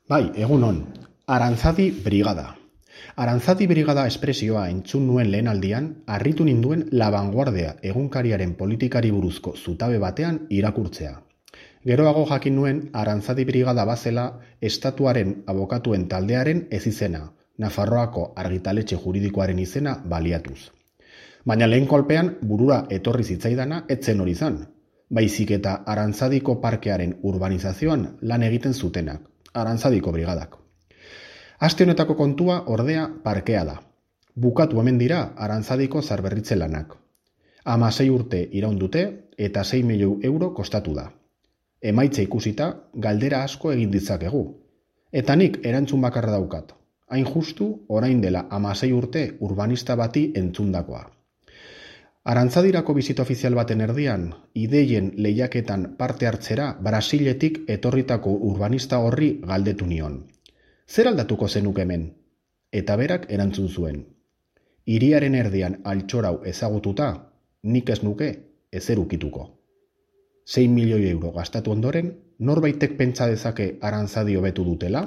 Bai, egunon. Arantzadi Brigada. Arantzadi Brigada espresioa entzun nuen lehen aldian, harritu ninduen La Vanguardia egunkariaren politikari buruzko zutabe batean irakurtzea. Geroago jakin nuen Arantzadi Brigada bazela estatuaren abokatuen taldearen ez izena, Nafarroako argitaletxe juridikoaren izena baliatuz. Baina lehen kolpean burura etorri zitzaidana etzen hori izan, baizik eta Arantzadiko parkearen urbanizazioan lan egiten zutenak, Arantzadiko Brigadak. Aste honetako kontua ordea parkea da. Bukatu hemen dira Arantzadiko zaharberritze lanak. 16 urte iraun dute eta 6 milioi euro kostatu da. Emaitza ikusita galdera asko egin ditzakegu. Eta nik erantzun bakarra daukat. Hain justu orain dela 16 urte urbanista bati entzundakoa. Arantzadirako bizita ofizial baten erdian, ideien lehiaketan parte hartzera Brasiletik etorritako urbanista horri galdetu nion. Zer aldatuko zenuk hemen? Eta berak erantzun zuen. Hiriaren erdian altxorau ezagututa, nik ez nuke ezer ukituko. 6 milioi euro gastatu ondoren, norbaitek pentsa dezake Arantzadi hobetu dutela?